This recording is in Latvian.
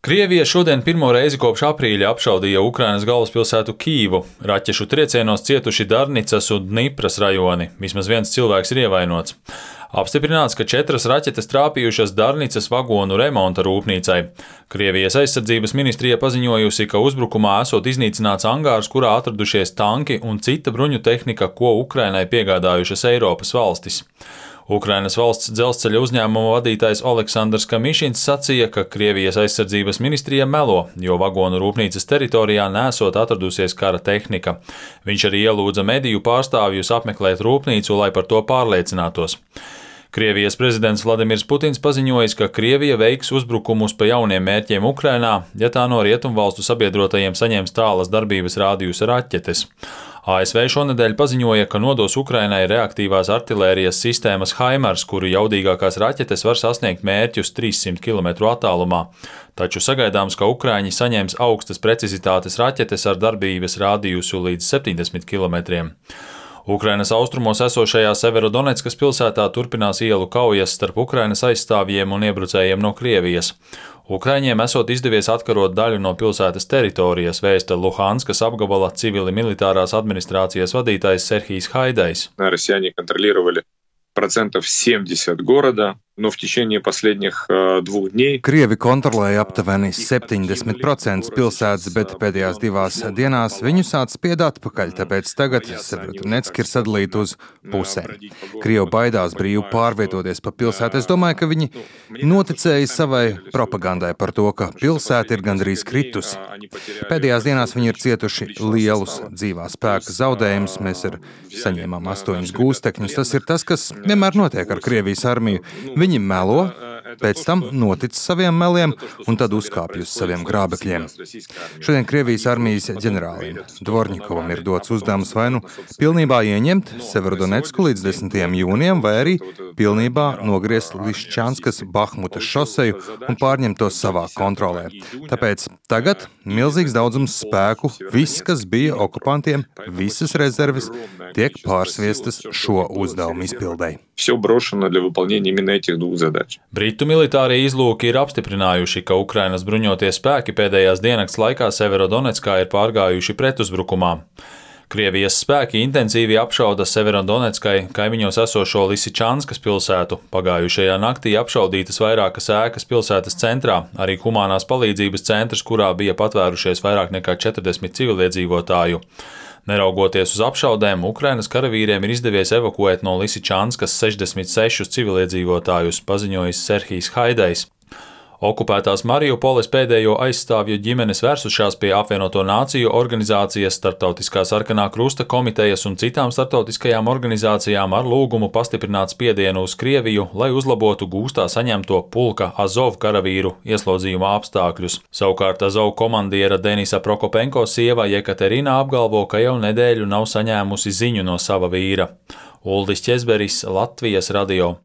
Krievija šodien pirmo reizi kopš aprīļa apšaudīja Ukrainas galvaspilsētu Kīvu. Raķešu triecienos cietuši Darnicas un Dnipras rajoni. Vismaz viens cilvēks ir ievainots. Apstiprināts, ka 4 raķetes trāpījušas Darnicas vagonu remonta rūpnīcai. Krievijas aizsardzības ministrija paziņojusi, ka uzbrukumā esot iznīcināts angārs, kurā atradušies tanki un cita bruņu tehnika, ko Ukrainai piegādājušas Eiropas valstis. Ukrainas valsts dzelzceļa uzņēmuma vadītājs Oleksandrs Kamišins sacīja, ka Krievijas aizsardzības ministrija melo, jo vagonu rūpnīcas teritorijā nesot atradusies kara tehnika. Viņš arī ielūdza mediju pārstāvjus apmeklēt rūpnīcu, lai par to pārliecinātos. Krievijas prezidents Vladimirs Putins paziņojis, ka Krievija veiks uzbrukumus pa jauniem mērķiem Ukrainā, ja tā no rietumvalstu sabiedrotajiem saņems tālas darbības rādījusa raķetes. ASV šonedēļ paziņoja, ka nodos Ukrainai reaktīvās artilērijas sistēmas HIMARS, kuru jaudīgākās raķetes var sasniegt mērķus 300 km attālumā. Taču sagaidāms, ka Ukraiņi saņems augstas precizitātes raķetes ar darbības rādījusu līdz 70 km. Ukrainas austrumos esošajā Severodoneckas pilsētā turpinās ielu kaujas starp Ukrainas aizstāvjiem un iebrucējiem no Krievijas. Ukraiņiem esot izdevies atkarot daļu no pilsētas teritorijas, vēsta Luhanskas apgabala civili-militārās administrācijas vadītājs Serhijs Haidais. Россияне контролировали 70% города, но в течение последних 2 дней. Krievi kontrolēja aptuveni 70% pilsētas, bet pēdējās 2 dienās viņu sāc spied atpakaļ, tāpēc tagad Severodonecka ir sadalīta uz pusēm. Krievi baidās brīvi pārvietoties pa pilsētu. Es domāju, ka viņi noticēja savai propagandai par to, ka pilsēta ir gandrīz kritusi. Pēdējās dienās viņi ir cietuši lielus dzīvā spēka zaudējumus. Mēs saņēmām 8 gūstekņus. Tas ir tas, kas vienmēr notiek ar Krievijas armiju. Viņi melo, pēc tam notic saviem meliem un tad uzkāpj uz saviem grābekļiem. Šodien Krievijas armijas ģenerālim Dvorņikovam ir dots uzdevums vai nu pilnībā ieņemt Severodonecku līdz 10. jūnijam, vai arī pilnībā nogriezt Liščanskas Bahmutas šoseju un pārņemt to savā kontrolē. Tāpēc tagad milzīgs daudzums spēku, viss, kas bija okupantiem, visas rezerves, tiek pārsviestas šo uzdevumu izpildei. Britu militārie izlūki ir apstiprinājuši, ka Ukrainas bruņotie spēki pēdējās diennakts laikā Severodoneckā ir pārgājuši pretuzbrukumā. Krievijas spēki intensīvi apšauda Severodoneckai kaimiņos esošo Lisičanskas pilsētu. Pagājušajā naktī apšaudītas vairākas ēkas pilsētas centrā, arī humanās palīdzības centrs, kurā bija patvērušies vairāk nekā 40 civiliedzīvotāju. Neraugoties uz apšaudēm, Ukrainas karavīriem ir izdevies evakuēt no Lisičanskas 66 civiliedzīvotājus, paziņojis Serhijs Haidais. Okupētās Mariupoles pēdējo aizstāvju ģimenes vērsušās pie Apvienoto Nāciju organizācijas, Starptautiskā sarkanā krusta komitejas un citām starptautiskajām organizācijām ar lūgumu pastiprināt spiedienu uz Krieviju, lai uzlabotu gūstā saņemto pulka Azov karavīru ieslodzījuma apstākļus. Savukārt Azov komandiera Denisa Prokopenko sieva Jekaterina apgalvo, ka jau nedēļu nav saņēmusi ziņu no sava vīra. Uldis Ķezberis, Latvijas radio.